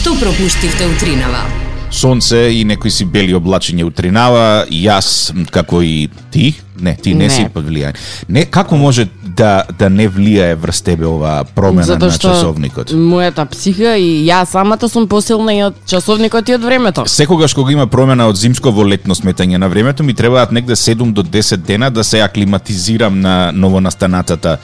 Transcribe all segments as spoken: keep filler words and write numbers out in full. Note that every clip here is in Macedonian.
Што пропуштивте утринава? Сонце и некои си бели облачиња утринава, јас како и ти, не, ти не, не. си под влијање. Не, како може да да не влијае врз тебе оваа промена Затоа на часовникот? Мојата психа и јас самата сум посилна и од часовникот и од времето. Секогаш кога има промена од зимско во летно сметање на времето, ми требаат негде седум до десет дена да се аклиматизирам на новонастанатата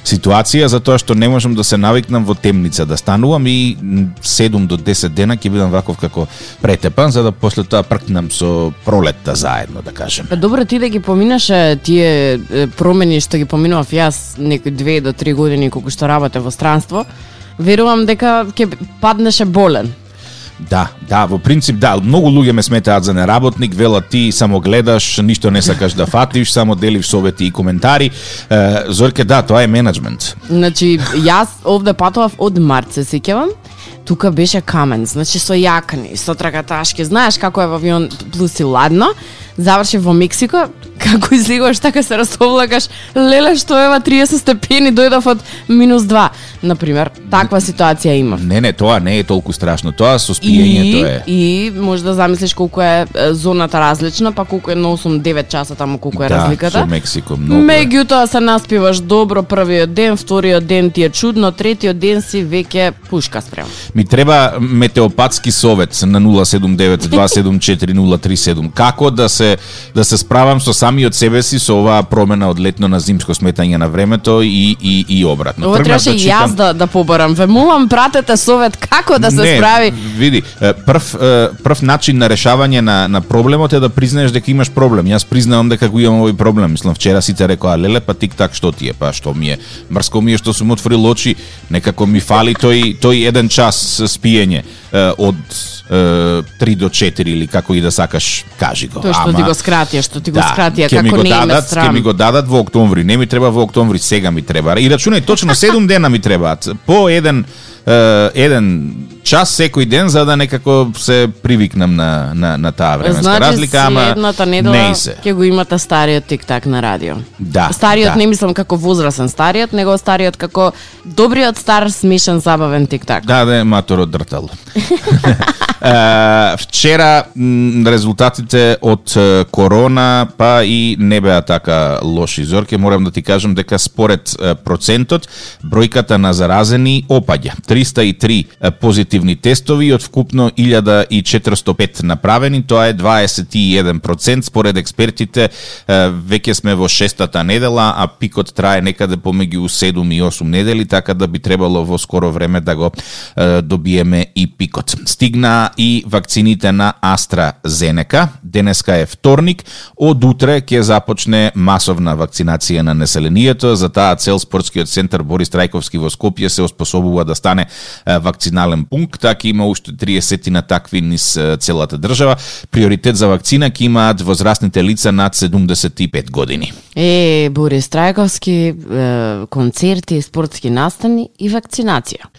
ситуација, затоа што не можам да се навикнам во темница да станувам и седум до десет дена ќе бидам ваков како претепан, за да после тоа пркнам со пролетта заедно, да кажем. Па добро, ти да ги поминаше тие промени што ги поминував јас некои две до три години колку што работев во странство, верувам дека ќе паднеше болен. Да, да, во принцип да, многу луѓе ме сметаат за неработник, велат ти само гледаш, ништо не сакаш да фатиш, само делиш совети и коментари. Е, Зорке, да, тоа е менеджмент. Значи, јас овде патував од март, се сеќавам. Тука беше камен, значи со јакни, со тракаташки. Знаеш како е во авион плюс и ладно. Завршив во Мексико, како излегуваш така се расовлагаш, леле што ева триесет степени, дојдов од минус два. Например, таква ситуација имав. Не, не, тоа не е толку страшно. Тоа со спиењето е. И може да замислиш колку е зоната различна, па колку е на осум-девет часа таму колку е да, разликата. Да, со Мексико многу. Меѓутоа се наспиваш добро првиот ден, вториот ден ти е чудно, третиот ден си веќе пушка спрема. Ми треба метеопатски совет на нула седум девет два седум четири нула три седум. Како да се да се справам со самиот себе си со оваа промена од летно на зимско сметање на времето и и и обратно. Ова требаше да читам... јас да да побарам. Ве молам, пратете совет како да се не, справи. Види, прв прв начин на решавање на на проблемот е да признаеш дека имаш проблем. Јас признавам дека го имам овој проблем. Мислам вчера сите рекоа леле па тик-так што ти е, па што ми е. Мрско ми е што сум отворил очи, некако ми фали тој тој еден час спиење од три до четири или како и да сакаш, кажи го. Тоа што Ама, ти го скратија, што ти го да, скратија, како не име срам. Ќе ми го дадат во октомври, не ми треба во октомври, сега ми треба. И рачунај точно седум дена ми требаат. По еден Uh, еден час секој ден за да некако се привикнам на на на таа временска значи, разлика, ама едната недела ќе го имате стариот тик-так на радио. Да. Стариот да. не мислам како возрасен стариот, него стариот како добриот стар смешен забавен тик-так. Да, да, маторот дртал. Uh, вчера м, резултатите од uh, корона па и не беа така лоши, Зорке, морам да ти кажам дека според uh, процентот бројката на заразени опаѓа. триста и три uh, позитивни тестови од вкупно илјада и четиристотини и пет направени, тоа е дваесет и еден процент според експертите. Uh, веќе сме во шестата недела, а пикот трае некаде помеѓу седум и осум недели, така да би требало во скоро време да го uh, добиеме и пикот. Стигна и вакцините на AstraZeneca. Денеска е вторник, од утре ќе започне масовна вакцинација на населението. За таа цел спортскиот центар Борис Трајковски во Скопје се оспособува да стане вакцинален пункт, така има уште триесет на такви низ целата држава. Приоритет за вакцина ќе имаат возрастните лица над седумдесет и пет години. Е, Борис Трајковски, е, концерти, спортски настани и вакцинација.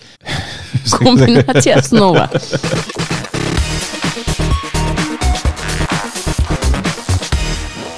Комбинација снова.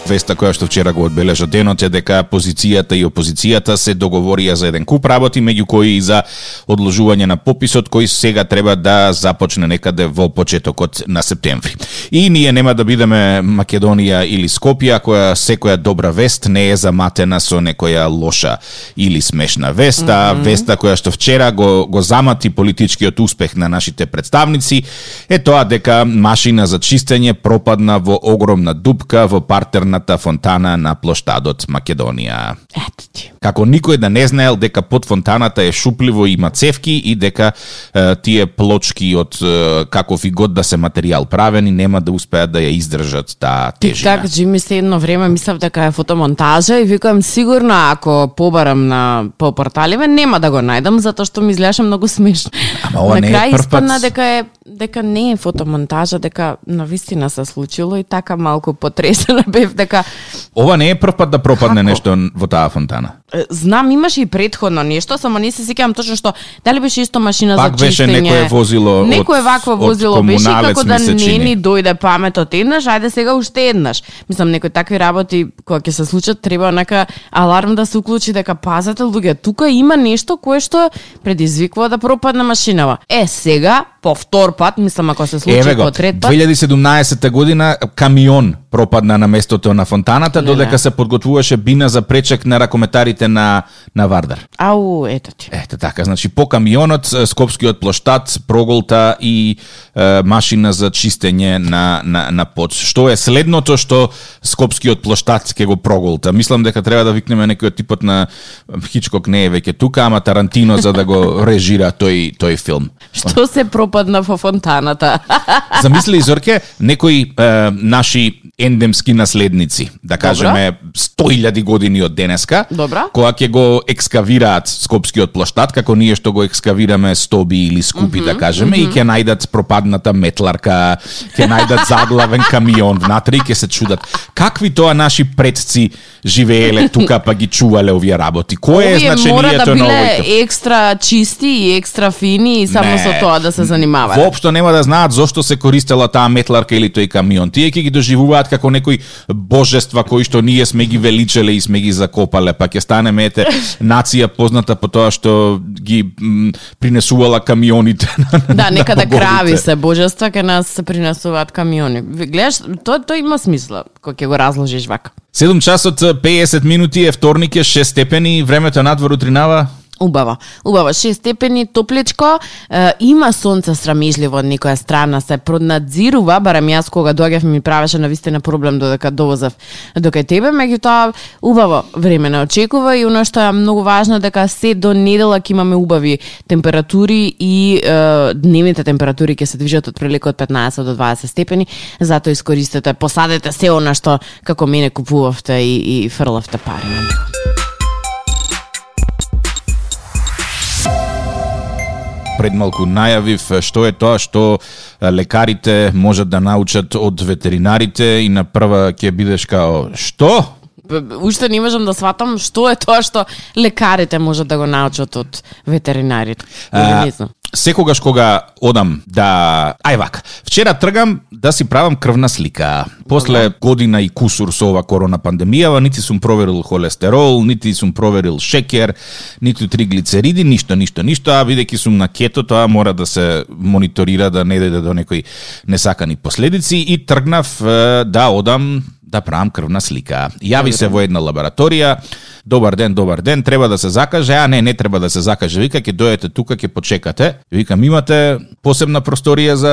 Веста која што вчера го одбележа денот е дека позицијата и опозицијата се договорија за еден куп работи, меѓу кои и за одложување на пописот кој сега треба да започне некаде во почетокот на септември. И ние нема да бидеме Македонија или Скопје, која секоја добра вест не е заматена со некоја лоша или смешна вест, а mm-hmm. веста која што вчера го, го замати политичкиот успех на нашите представници е тоа дека машина за чистење пропадна во огромна дупка во партерна фонтана на плоштадот Македонија. Ето ти. Како никој да не знаел дека под фонтаната е шупливо и има цевки и дека е, тие плочки од е, каков и год да се материјал правени нема да успеат да ја издржат таа тежина. Так, Джими, се едно време мислев дека е фотомонтажа и викам сигурно ако побарам на по порталиве нема да го најдам затоа што ми изгледаше многу смешно. Ама ова на не е крај прв испадна пат... дека е дека не е фотомонтажа, дека навистина се случило и така малку потресена бев дека ова не е прв пат да пропадне Како? нешто во таа фонтана. Знам, имаше и претходно нешто, само не се сеќавам точно што дали беше исто машина Пак за чистење. Пак беше некое возило од Некое вакво возило беше и како да не чини. ни дојде паметот еднаш, ајде сега уште еднаш. Мислам, некои такви работи кога ќе се случат треба нека аларм да се уклучи дека пазете луѓе, тука има нешто кое што предизвикува да пропадне машинава. Е, сега по втор пат, мислам ако се случи по трет пат. две илјади и седумнаесетта година камион пропадна на местото на фонтаната, Леле. додека се подготвуваше бина за пречек на ракометарите на на Вардар. Ау, ето ти. Ете така, значи по камионот, Скопскиот плоштад, проголта и е, машина за чистење на, на, на пот. Што е следното што Скопскиот плоштад ќе го проголта? Мислам дека треба да викнеме некој типот на Хичкок не е веќе тука, ама Тарантино за да го режира тој тој филм. Што се пропадна во фонтаната? Замисли, Зорке, некои е, наши ендемски наследници, да кажеме сто илјади години од денеска, Добра. кога ќе го екскавираат Скопскиот плоштад, како ние што го екскавираме Стоби или Скупи, mm -hmm, да кажеме, mm -hmm. и ќе најдат пропадната метларка, ќе најдат заглавен камион внатре и ќе се чудат какви тоа наши предци живееле тука па ги чувале овие работи. Кој е значението мора да на биле овој? екстра чисти и екстра фини и само Не. со тоа да се занимаваат. Воопшто нема да знаат зошто се користела таа метларка или тој камион. Тие ќе ги доживуваат како некои божества кои што ние сме ги величеле и сме ги закопале, па ќе станеме ете нација позната по тоа што ги м, принесувала камионите на, Да, некада на боговите. крави се божества, ке нас се принесуваат камиони. Ви гледаш, тоа тоа има смисла кога ќе го разложиш вака. седум часот педесет минути е вторник, е шест степени, времето надвор утринава. Убаво, убаво, шест степени, топличко, е, има сонце срамежливо од некоја страна, се проднадзирува, барем јас кога доаѓав ми правеше навистина проблем додека довозев до кај тебе, меѓутоа убаво време не очекува и оно што е многу важно дека се до недела ќе имаме убави температури и е, дневните температури ќе се движат од прилика од петнаесет до дваесет степени, затоа искористете, посадете се она што како мене купувавте и, и фрлавте пари на него. Пред малку најавив што е тоа што лекарите можат да научат од ветеринарите и на прва ќе бидеш као што? Уште не можам да сватам што е тоа што лекарите можат да го научат од ветеринарите. А, Не знам. Секогаш кога одам да... Ај вака, вчера тргам да си правам крвна слика. После година и кусур со ова корона пандемијава, нити сум проверил холестерол, нити сум проверил шекер, нити триглицериди, ништо, ништо, ништо, а бидејќи сум на кето, тоа мора да се мониторира, да не дојде до некои несакани последици и тргнав е, да одам да правам крвна слика. Јави се во една лабораторија, добар ден, добар ден, треба да се закаже, а не, не треба да се закаже, вика, ќе дојдете тука, ќе почекате. Викам, имате посебна просторија за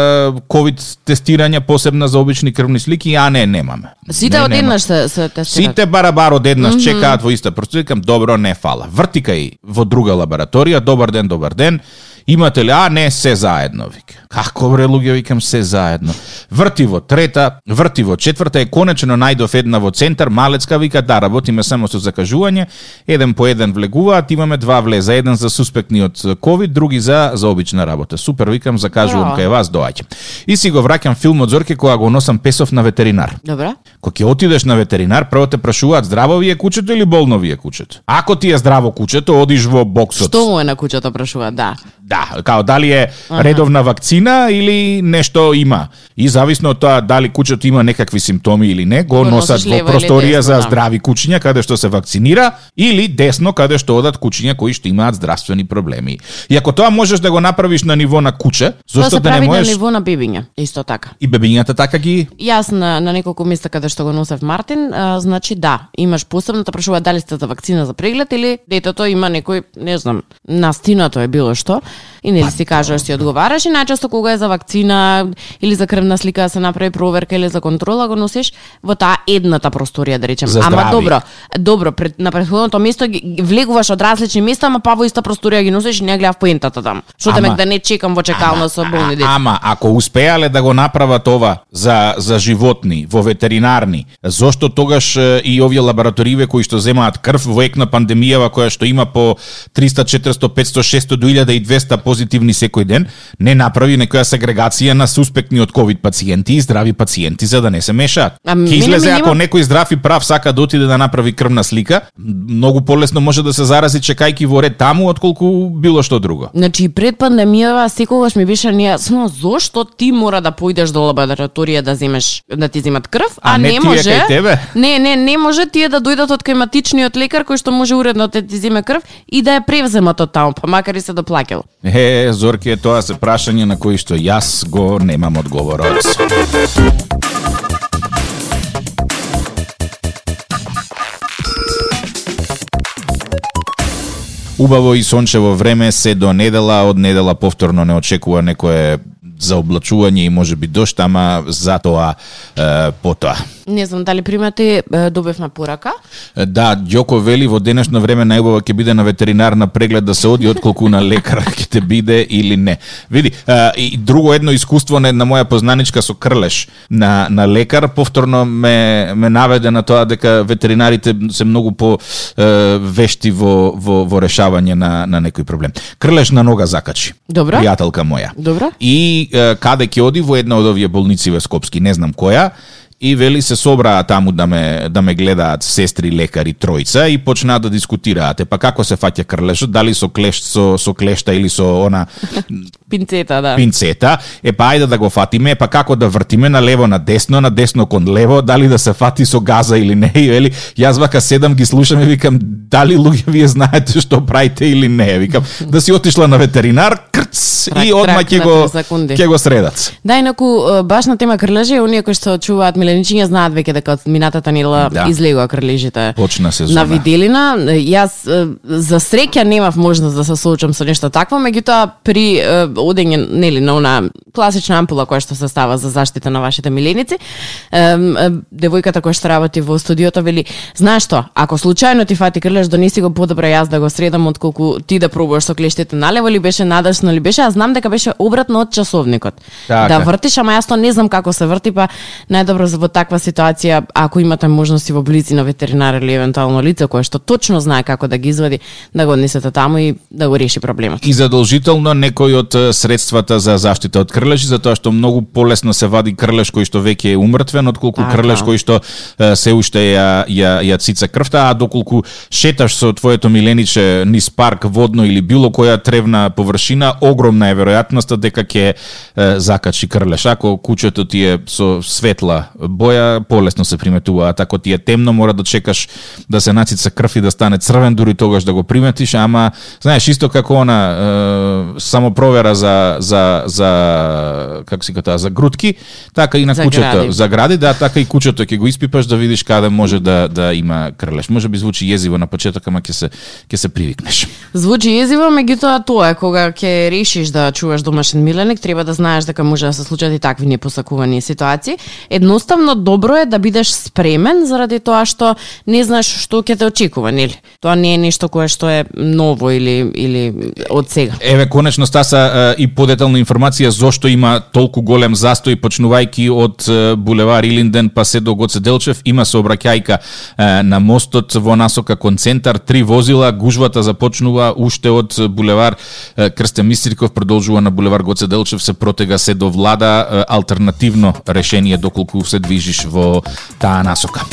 ковид тестирање, посебна за обични крвни слики, а не, немаме. Сите не, одеднаш се, се тестираат. Сите барабар одеднаш mm -hmm. чекаат во иста просторија, викам, добро, не фала. Вртикај во друга лабораторија, добар ден, добар ден, имате ли, а не, се заедно, вика. Како бре, луѓе, викам, се заедно. Врти во трета, врти во четврта, е конечно најдов една во центар, малецка, вика, да, работиме само со закажување, еден по еден влегуваат, имаме два влеза, еден за суспектни од ковид, други за за обична работа. Супер, викам, закажувам Браво. кај вас, доаѓам. И си го враќам филмот, Зорке, кога го носам песов на ветеринар. Добра. Кога ќе отидеш на ветеринар, прво те прашуваат здраво ви е кучето или болно ви е кучето. Ако ти е здраво кучето, одиш во боксот. Што му е на куќата прашуваат, да. Да, као дали е редовна вакцина или нешто има. И зависно од тоа дали кучето има некакви симптоми или не, го, Го носат носиш во лево или просторија десно, за да. здрави кучиња каде што се вакцинира или десно каде што одат кучиња кои што имаат здравствени проблеми. И ако тоа можеш да го направиш на ниво на куче, Тоа зошто се да не прави можеш на ниво на бебиња, исто така. и бебињата така ги Јас на, на неколку места каде што го носев Мартин, а, значи да, имаш посебно, те прашува дали сте за вакцина за преглед или детето има некој, не знам, настинато е било што, и нели си кажеш, си одговараш и најчесто кога е за вакцина или за крвна слика да се направи проверка или за контрола, го носиш во таа едната просторија, да речем. За Ама здрави. добро, добро, пред, на претходното место ги, ги влегуваш од различни места, ама па во иста просторија ги носиш и не гледав поентата таму. Што Ама- темек да не чекам во чекална со болни деца. Ама ако успеале да го направат ова за за животни во ветеринарни, зошто тогаш е, и овие лабораториве кои што земаат крв во ек на пандемијава која што има по триста, четиристо, петсто, шестсто до илјада и двесте позитивни секој ден, не направи некоја сегрегација на суспектни од ковид пациенти и здрави пациенти за да не се мешаат. А Ќе мене излезе ми ако нема- некој здрав и прав сака да отиде да направи крвна слика, многу полесно може да се зарази чекајки во ред таму отколку било што друго. Значи, пред пандемијава секогаш ми беше нејасно зошто ти мора да поидеш до лабораторија да земеш да ти земат крв, а, А не не тие може. кај тебе? Не, не, не може тие да дојдат од кај матичниот лекар кој што може уредно да ти земе крв и да ја превземат од таму, па макар и се доплаќало. Е, Зорке, тоа се прашање на кој што јас го немам одговорот. Убаво и сончево време се до недела, од недела повторно не очекува некое заоблачување и можеби дожд, ама затоа е, потоа. Не знам дали примате, добивме порака. Да, Ѓоко вели во денешно време најубаво ќе биде на ветеринарна преглед да се оди отколку на лекар ќе те биде или не. Види, и друго едно искуство на една моја познаничка со крлеш на на лекар повторно ме ме наведе на тоа дека ветеринарите се многу по е, вешти во во во решавање на на некој проблем. Крлеш на нога закачи. Добро. Пријателка моја. Добро. И е, каде ќе оди во една од овие болници во Скопски, не знам која. И вели се собраа таму да ме да ме гледаат сестри, лекари, тројца и почнаа да дискутираат. Е, па како се фаќа крлешот, дали со клешт со со клешта или со она пинцета, да. Пинцета. Е, па ајде да го фатиме, па како да вртиме на лево на десно, на десно кон лево, дали да се фати со газа или не. И вели, јас вака седам ги слушам и викам, дали луѓе вие знаете што правите или не. Викам, да си отишла на ветеринар, крц, трак, и одма ќе го ќе го средат. Да, инаку баш на тема крлежи, оние кои што чуваат миленичиња знаат веќе дека од минатата недела да. излегува крлежите. Почна сезона. На виделина. Јас за среќа немав можност да се соочам со нешто такво, меѓутоа при одење нели на она класична ампула која што се става за заштита на вашите миленици, девојката која што работи во студиото вели, знаеш што, ако случајно ти фати крлеж, донеси го подобро јас да го средам отколку ти да пробуваш со клештите налево или беше надашно или беше, аз знам дека беше обратно од часовникот. Така. Да вртиш, ама јас тоа не знам како се врти, па најдобро во таква ситуација, ако имате можности во блици на ветеринар или евентуално лице кое што точно знае како да ги извади, да го однесете таму и да го реши проблемот. И задолжително некој од средствата за заштита од крлежи, затоа што многу полесно се вади крлеж кој што веќе е умртвен, отколку а, крлеж кој што се уште ја ја ја цица крвта, а доколку шеташ со твоето милениче низ парк водно или било која тревна површина, огромна е веројатноста дека ќе закачи крлеж. Ако куќето ти е со светла боја, полесно се приметуваат. Ако ти е темно, мора да чекаш да се нацица крв и да стане црвен, дури тогаш да го приметиш, ама знаеш исто како она е, само провера за за за како си кажа, за грудки, така и на за куќето, гради. за гради, да, така и куќето ќе го испипаш да видиш каде може да да има крлеж. Може би звучи језиво на почеток, ама ќе се ќе се привикнеш. Звучи језиво, меѓутоа тоа е кога ќе решиш да чуваш домашен миленик, треба да знаеш дека може да се случат и такви непосакувани ситуации. Едноставно добро е да бидеш спремен заради тоа што не знаеш што ќе те очекува, нели? Тоа не е нешто кое што е ново или или од сега. Еве конечно стаса и подетална информација зошто има толку голем застој почнувајќи од булевар Илинден па се до Гоце Делчев, има сообраќајка на мостот во насока кон центар, три возила, гужвата започнува уште од булевар Крстен Мистриков, продолжува на булевар Гоце Делчев, се протега се до Влада, алтернативно решение доколку се движиш во таа насока.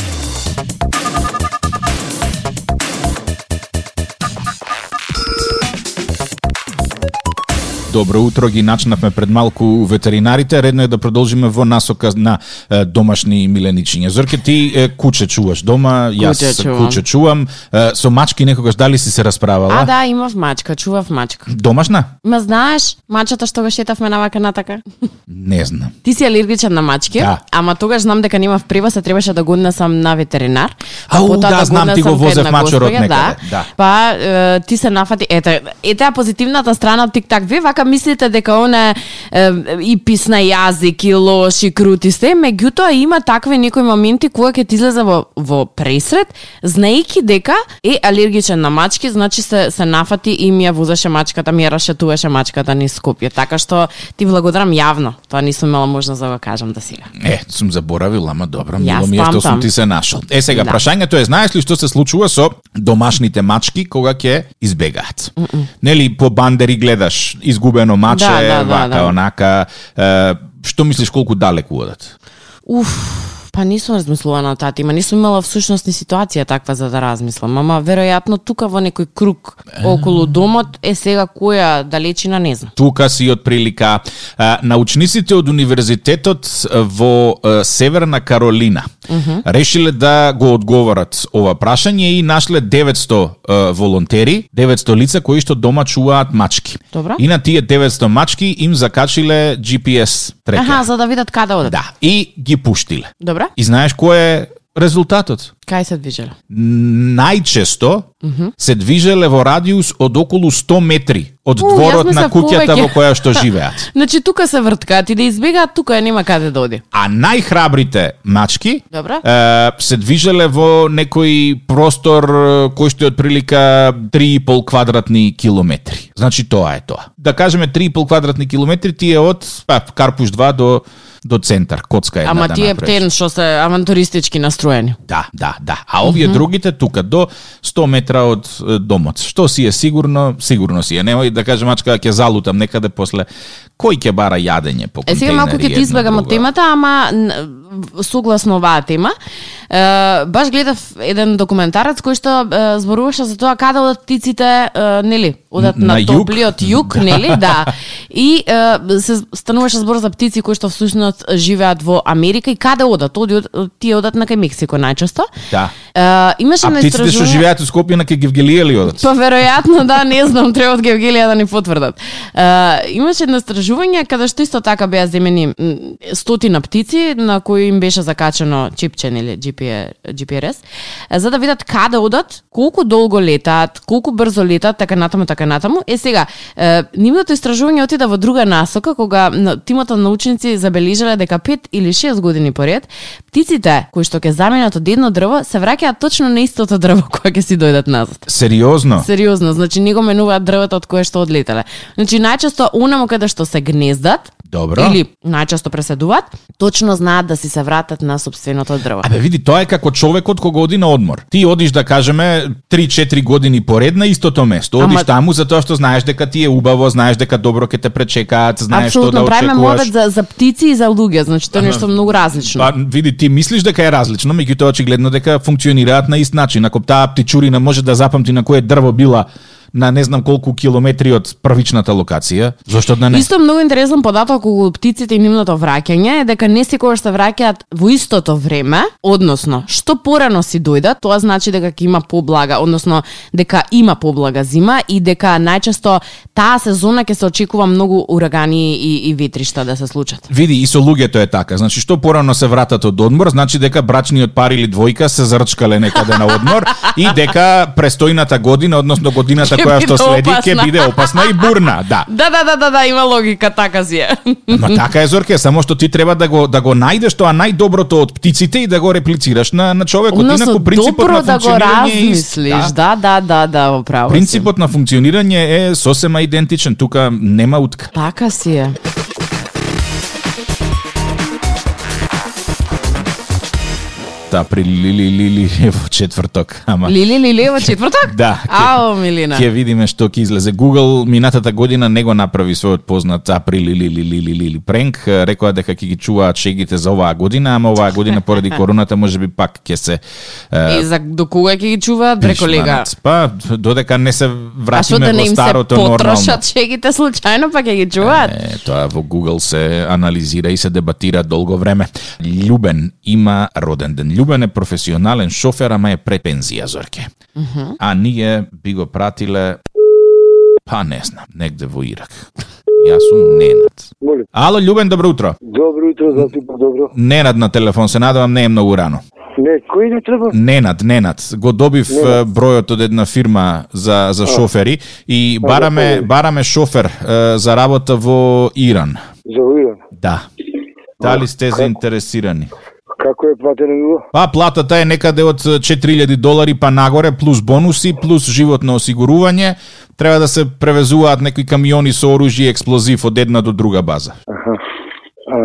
Добро утро, ги начнавме пред малку ветеринарите, редно е да продолжиме во насока на е, домашни миленичиња. Зорке, ти е, куче чуваш дома, јас куче чувам. куче чувам. Е, со мачки некогаш дали си се расправала? А да, имав мачка, чував мачка. Домашна? Ма знаеш, мачата што го шетавме навака натака? Не знам. Ти си алергичен на мачки, да. Ама тогаш знам дека немав превоз, се требаше да го однесам на ветеринар. Ау, потоа да, знам, ти го возев мачорот некаде. Да. Да. Па е, ти се нафати, ете, ете позитивната страна од тик-так. Вие вака мислите дека она е, и писна јазик и лош и крути сте, меѓутоа има такви некои моменти кои ќе ти излезе во, во пресред, знаејќи дека е алергичен на мачки, значи се се нафати и ми ја возеше мачката, ми ја расшетуваше мачката низ Скопје. Така што ти благодарам јавно. Тоа не сум имала можност да го кажам до сега. Е, сум заборавил, ама добро, Јас мило ми е што памтам. сум ти се нашол. Е, сега, Да. прашањето е, знаеш ли што се случува со домашните мачки кога ќе избегаат? Mm -mm. Нели, по бандери гледаш, изгубено маче, Да, да, да, вака, да. онака, е, што мислиш колку далеку одат? Уф, Па нисум размислувала на таа тема, нисум имала всушност ни ситуација таква за да размислам, ама веројатно тука во некој круг околу домот е сега која далечина не знам. Тука си од прилика. А, научниците од универзитетот во а, Северна Каролина uh-huh. решиле да го одговорат ова прашање и нашле деветсто а, волонтери, деветсто лица кои што дома чуваат мачки. Добро. И на тие деветсто мачки им закачиле Джи Пи Ес трекер. Аха, за да видат каде одат. Да, и ги пуштиле. Добро. И знаеш кој е резултатот? Кај се движеле? Најчесто uh-huh. се движеле во радиус од околу сто метри од У, дворот на куќата повеќе. во која што живеат. Значи тука се врткаат и да избегаат, тука нема каде да оди. А најхрабрите мачки Добро. е, се движеле во некој простор кој што е од прилика три и пол квадратни километри. Значи тоа е тоа. Да кажеме три и пол квадратни километри ти е од па, Карпуш два до до центар, коцка една Ама да тие направиш. птен што се авантуристички настроени. Да, да, да. А овие mm-hmm. другите тука до сто метра од е, домот. Што си е сигурно, сигурно си е. Немој да кажем мачка ќе залутам некаде после кој ќе бара јадење по контейнери. Е сега малку ќе ти избегам од темата, ама согласно оваа тема, е, баш гледав еден документарец кој што е, зборуваше за тоа каде одат птиците, е, нели, одат на, На на југ. топлиот југ, нели, да. И е, се стануваше збор за птици кои што всушност живеат во Америка и каде одат? Оди, тие одат на кај Мексико најчесто. Да. Е, имаше А на птиците што истражување- живеат во Скопје на ке Гевгелија ли одат? Па веројатно да, не знам, треба од Гевгелија да ни потврдат. Uh, имаше едно истражување каде што исто така беа земени м, стотина птици на кои им беше закачено чипче или Джи Пи Ес, за да видат каде одат, колку долго летаат, колку брзо летаат, така натаму, така натаму. Е сега, uh, нивното истражување отида во друга насока, кога на- тимото научници забележале дека пет или шест години поред, птиците кои што ќе заменат од едно дрво се враќаат точно на истото дрво кое ќе си дојдат назад. Сериозно? Сериозно, значи не го менуваат дрвото од кое што одлетеле. Значи најчесто онаму каде што се гнездат, Добро. или најчесто преседуваат, точно знаат да си се вратат на собственото дрво. Абе види, тоа е како човекот кога оди на одмор. Ти одиш да кажеме три-четири години поред на истото место. Одиш Ама- таму затоа што знаеш дека ти е убаво, знаеш дека добро ќе те пречекаат, знаеш што да Апсолутно, правиме очекуваш. мовет за, за птици и за луѓе, значи тоа е нешто многу различно. Па види, ти мислиш дека е различно, меѓутоа очигледно дека функционираат на ист начин. Ако таа птичурина може да запамти на кое дрво била на не знам колку километри од првичната локација, зошто да не? Исто многу интересен податок околу птиците и нивното враќање е дека не секогаш се враќаат во истото време, односно, што порано си дојдат, тоа значи дека ќе има поблага, односно дека има поблага зима и дека најчесто таа сезона ќе се очекува многу урагани и, и ветришта да се случат. Види, и со луѓето е така. Значи, што порано се вратат од одмор, значи дека брачниот пар или двојка се зарчкале некаде на одмор и дека престојната година, односно годината Ќе која што биде следи, опасна. ќе биде опасна и бурна, да. Да, да, да, да, да, има логика, така си е. Ма така е, Зорке, само што ти треба да го да го најдеш тоа најдоброто од птиците и да го реплицираш на на човекот. Односно, Инаку принципот добро на да го функционирање е ист. размислиш, да, да, да, да, управо си. Принципот на функционирање е сосема идентичен, тука нема утка. Така си е. Април лили лили во четврток, ама Лили, Лили, во четврток? да. Ао, Милина. Ќе видиме што ќе излезе. Google минатата година не го направи својот познат април лили лили лили лили пренк, рекоа дека ќе ги чуваат шегите за оваа година, ама оваа година поради короната можеби пак ќе се е, И за до кога ќе ги чуваат, бре колега? пришманат. Па додека не се А што вратиме да не во им се старото нормално. потрошат шегите случајно, па ќе ги чуваат? Е, тоа во Google се анализира и се дебатира долго време. Љубен има роден ден. Љубен е професионален шофер, ама е пред пензија, Зорке. Мгм. А ние би го пратиле, па не знам, негде во Ирак. Јас сум Ненад. Молим. Ало, Љубен, добро утро. Добро утро, за супер добро. Ненад на телефон, се надевам не е многу рано. Не, кој не треба? Ненад, Ненад. Го добив Ненад. е, бројот од една фирма за за шофери и А, бараме за бараме шофер е, за работа во Иран. За Иран. Да. Дали сте како? заинтересирани? Како е платено било? Па платата е некаде од четири илјади долари па нагоре, плюс бонуси, плюс животно осигурување. Треба да се превезуваат некои камиони со оружје и експлозив од една до друга база. Аха. А,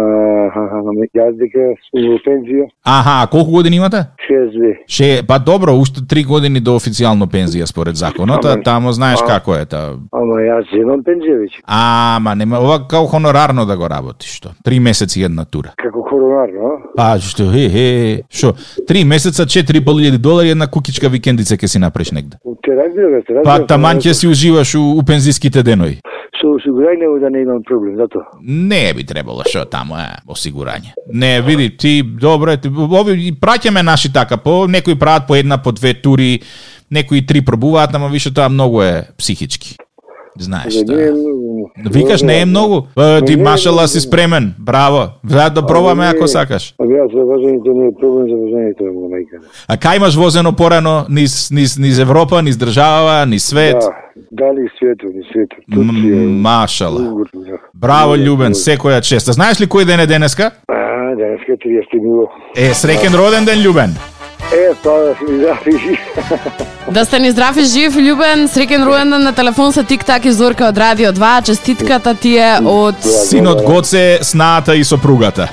јас дека сум во пензија. Аха, а колку години имате? шест две. Ше, па добро, уште три години до официјално пензија според законот, а Ама- тамо знаеш а- како е та. Ама јас имам пензија веќе. Ама нема ова као хонорарно да го работиш што. Три месеци една тура. Како коронарно, а? Па што е е што? Три месеца четири и пол илјади долари една кукичка викендица ќе си направиш негде. Те разбира, те разбира. Па таман ќе си уживаш у, у пензиските денови. Со осигурање да не имам проблем, зато. Не би требало што тамо е осигурање. Не, види, ти добро е, ти- ови и праќаме наши така, по некои прават по една, по две тури, некои три пробуваат, ама више тоа многу е психички. Знаеш За тоа. не е многу. Викаш не е многу? Па, ти Не е машала многу. си спремен. Браво. Заед да пробаме Ама не ако е. сакаш. А јас за возењето не е проблем, за возењето е во мајка. А кај имаш возено порано низ низ низ Европа, низ држава, низ свет? Да, дали светот, ни светот. М, Турција. Машала. Угор, да. Браво, Угор, Љубен, угор. секоја честа. Знаеш ли кој ден е денеска? А, денеска е триесети нуло. Е, среќен роден ден, Љубен. Е, па да си ми запиши. Да сте ни здрав и жив, Љубен, среќен ројендан на телефон со Тик-так и Зорка од Радио два. Честитката ти е од Синот Гоце, снаата и сопругата.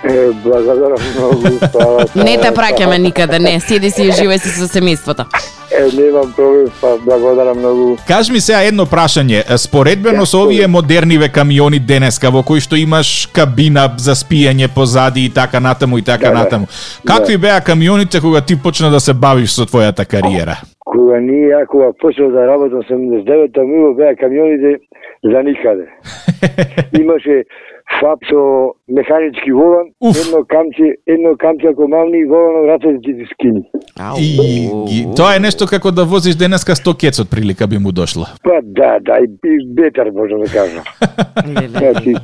Е, благодарам многу. Па, Не те праќаме никаде, не, седи си и живеј си со семејството. Е, немам проблем, па благодарам многу. Кажи ми сега едно прашање. Споредбено со овие модерниве камиони денеска во кои што имаш кабина за спиење позади и така натаму и така Да, да. натаму. Какви беа камионите кога ти почна да се бавиш со твојата кариера? Кога ние, ја кога почнав да работам седумдесет и девета мило беа камионите за никаде. Имаше фап со механички волан, Уф. едно камче, едно камче ако мавни и волано рацете ти ти скини. Ау. И, и тоа е нешто како да возиш денеска сто кец од прилика би му дошло. Па да, да, и, и бетар можам да кажам. Значи,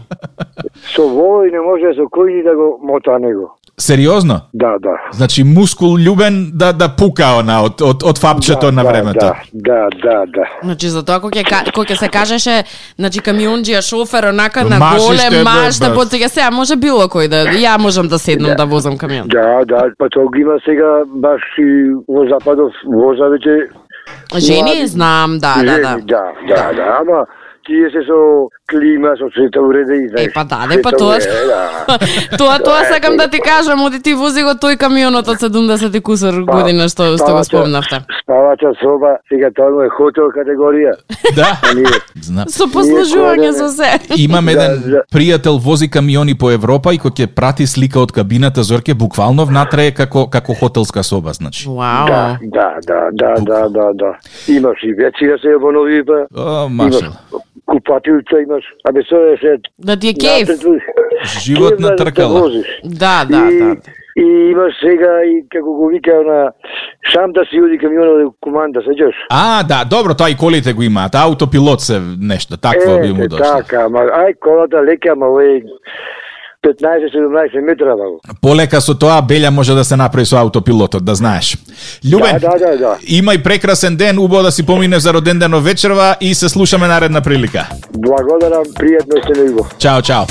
со вола и не може со кој ни да го мота него. Сериозно? Да, да. Значи мускул Љубен да да пука она од од од фапчето да, на да, времето. Да, да, да, да. Значи за тоа кога ќе ка- кога ќе се кажеше, значи камионџија шофер онака на Машиш голем те, маш да бе, потега сега може било кој да ја можам да седнам да возам камион. Да, да, па тоа го има сега баш и во западов воза веќе Жени млади. знам, да, да, да. Жени, да, да, да, ама тие се со клима, со света уреда и знаеш. Е, па да, не, па света тоа... уреда, да. тоа, тоа сакам да ти кажам, оди ти вози го тој камионот од седумдесет и кусор Па, година што, што го спавача- спомнавте. Спавача соба, сега тоа му е хотел категорија. Да. А ние, Знам. Со послужување Ние со се. Имам еден Да, да. пријател вози камиони по Европа и кога ќе прати слика од кабината Зорке буквално внатре е како како хотелска соба, значи. Вау. да, да, да, да, да, да, да. Имаш и вечера се обнови, па. О, Имаш машал. купатилца, имаш. Абе, со е се... Да ти е кеф. Живот Кеф на да тркала. возиш. Да, да, и, да. И имаш сега и како го вика на сам да си оди камионот до команда, сеќаш? А, да, добро, тоа и колите го имаат. Аутопилот се нешто, такво би му Е, дошло. така, ама ај колата лека, ама овој петнаесет седумнаесет метра, баво. Полека со тоа белја може да се направи со аутопилотот, да знаеш. Љубен, Да, да, да, да. имај прекрасен ден, убаво да си помине за роден ден вечерва и се слушаме наредна прилика. Благодарам, пријатно сте него. Чао, чао.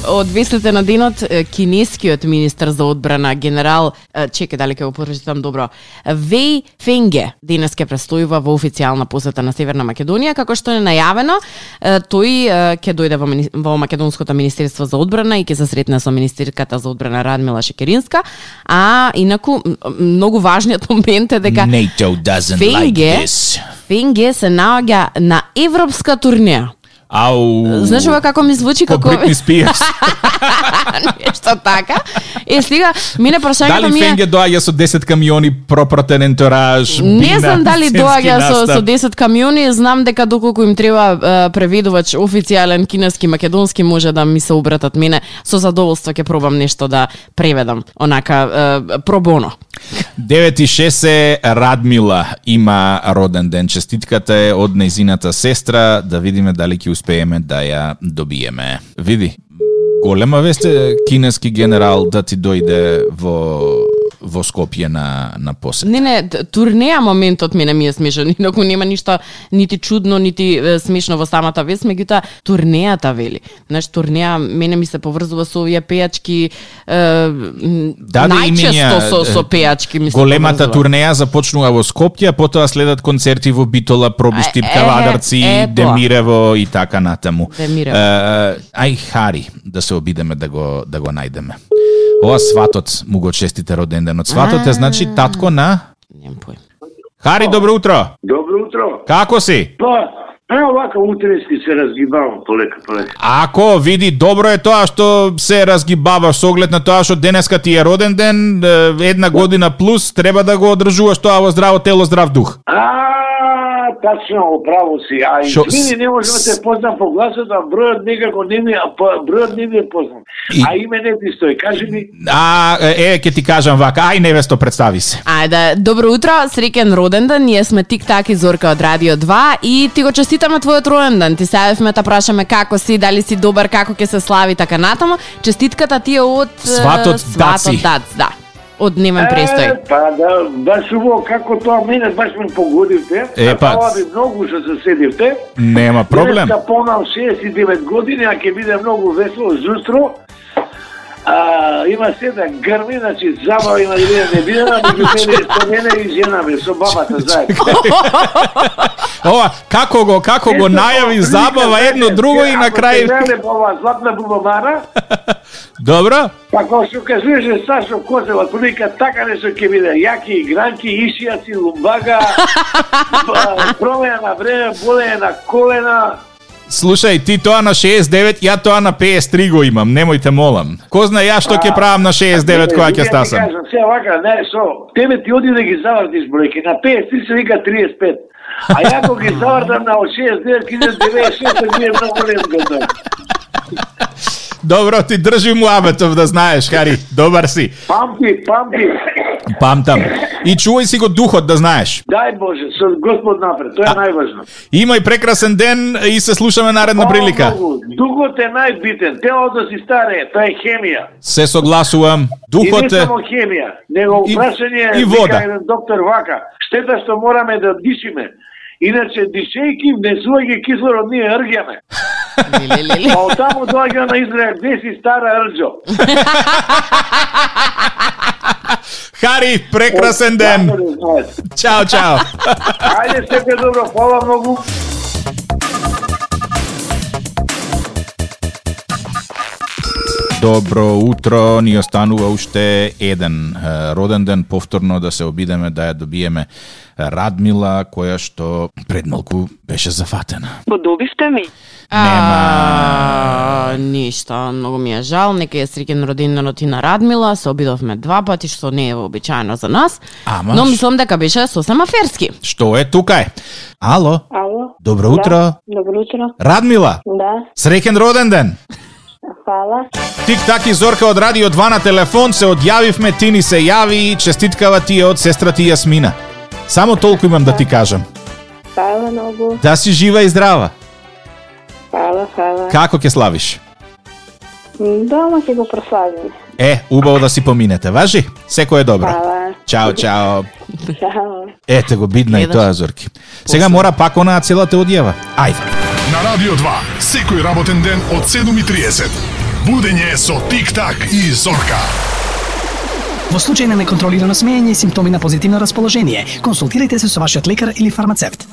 Од вестите на денот, е, кинескиот министер за одбрана генерал, е, чекај дали ќе го прочитам добро, Веј Фенге денес ќе престојува во официјална посета на Северна Македонија, како што е најавено, е, тој е, ќе дојде во, мини- во Македонското министерство за одбрана и ќе се сретне со министерката за одбрана Радмила Шекеринска, а инаку м- многу важниот момент е дека NATO doesn't Фенге, like this. Фенге се наоѓа на европска турнеја. Ау. Знаеш ова како ми звучи Ко како Бритни Спиерс. нешто така. Е сега мине прашањето Дали ми е Фенге доаѓа со десет камиони, пропратен ентораж, не бина, знам дали сценски доаѓа со, настап? со десет камиони, знам дека доколку им треба е, преведувач официјален кинески, македонски, може да ми се обратат мене. Со задоволство ќе пробам нешто да преведам, онака е, пробоно. девет и шест е Радмила има роден ден. Честитката е од нејзината сестра, да видиме дали ќе успееме да ја добиеме. Види, голема вест е кинески генерал да ти дојде во во Скопје на на посет. Не, не, турнеја моментот мене ми е смешен, инаку нема ништо нити чудно, нити е, смешно во самата вест, меѓутоа турнејата вели. Знаеш, турнеја мене ми се поврзува со овие пејачки, е, да, најчесто со, со пејачки ми се големата поврзува. турнеја започнува во Скопје, а потоа следат концерти во Битола, Пробиштип, Е, Кавадарци, е, Демирево и така натаму. Демирево. Е, ај Хари, да се обидеме да го да го најдеме. Ова сватот му го честите роден ден. Од сватот е значи татко на Немам поим. Хари, добро утро. Добро утро. Како си? Па, ево вака утрески се разгибавам полека, полека. Ако види, добро е тоа што се разгибаваш со оглед на тоа што денеска ти е роден ден, е, една година плюс, треба да го одржуваш тоа во здраво тело, здрав дух. А, тачно, право си. А Шо- извини, не можам да те познам по гласот, а бројот некако не ми, а по- бројот не ми е познат. И- А име не ти стои, кажи ми. А, е, ќе ти кажам вака, ај невесто, представи се. Ајде, добро утро, среќен роден ден. Ние сме Тик-так и Зорка од Радио два и ти го честитаме твојот роден ден. Ти се јавивме да прашаме како си, дали си добар, како ќе се слави така натаму. Честитката ти е од е, Сватот Даци. Сватот Дац, да. Од немен престој. Е, па да, баш уво, како тоа мене баш ме погодивте. Е, па. Фала ви многу што се седивте. Нема проблем. Денеска понам шеесет и девет години, а ќе биде многу весело зустро. А, има се да грми, значи забава има да биде не биде, а меѓу мене, со мене и жена ми, со бабата заедно. Ова, како го, како го Ето, најави тоа, забава прилика, едно знаете, друго и на ако крај. се гледа по ова златна бубамара, Добро? па кога што кажуваше Сашо Козева, прилика така нешто ќе биде, јаки игранки, ишијаци, лумбага, ба- промена на време, болење на колена. Слушај, ти тоа на шеесет и девет, ја тоа на пеесет и три го имам, немојте молам. Ко знае ја што ќе правам на шеесет и девет кога ќе стасам. Ја ти кажам, сега вака, не, со, тебе ти оди да ги завртиш бројки, на пеесет и три се вика триесет и пет. А ја кога ги завртам на шеесет и девет, ќе иде деведесет и шест, ми е многу лесно. Добро, ти држи му абетов да знаеш, Хари. Добар си. Памти, памти. Памтам. И чувај си го духот да знаеш. Дај Боже, со Господ напред, тоа е најважно. Имај прекрасен ден и се слушаме наредна прилика. Фала многу. Духот е најбитен, телото си старе, тоа е хемија. Се согласувам. И Духот не е... само хемија, него И- прашање и вода. вика еден доктор вака, штета што мораме да дишиме. Иначе дишејки, внесувајќи кислород, ние рѓаме. Лелелеле. А оттаму доаѓа на Израел, где си стара рđо. Хари, прекрасен ден. Чао, чао. Ајде, сепе добро, фала многу. Добро утро, ни останува уште еден е, роден ден, повторно да се обидеме да ја добиеме Радмила, која што пред малку беше зафатена. Подобивте ми. А, ништо, многу ми е жал, нека е среќен роденденот и на Радмила, се обидовме два пати, што не е вообичаено за нас, Ама, но мислам дека беше сосема ферски. Што е тука е? Ало, Ало. добро утро. Да, добро утро. Радмила, Да, среќен роден ден. фала. Тик-так и Зорка од Радио два на телефон, се одјавивме, ти ни се јави, честиткава ти е од сестра ти Јасмина. Само толку имам да ти кажам. Фала многу. Да си жива и здрава. Фала, фала. Како ќе славиш? Дома ќе го прославиме. Е, убаво да си поминете, важи? Секој е добро. Фала. Чао, чао. Чао. Ете го, бидна и Гледаш. тоа, Зорки. Сега мора пак она целата одјава. Ајде. На Радио два, секој работен ден од седум и триесет. Будење со Тик-так и Зорка. Во случај на неконтролирано смеење и симптоми на позитивно расположение, консултирайте се со вашиот лекар или фармацевт.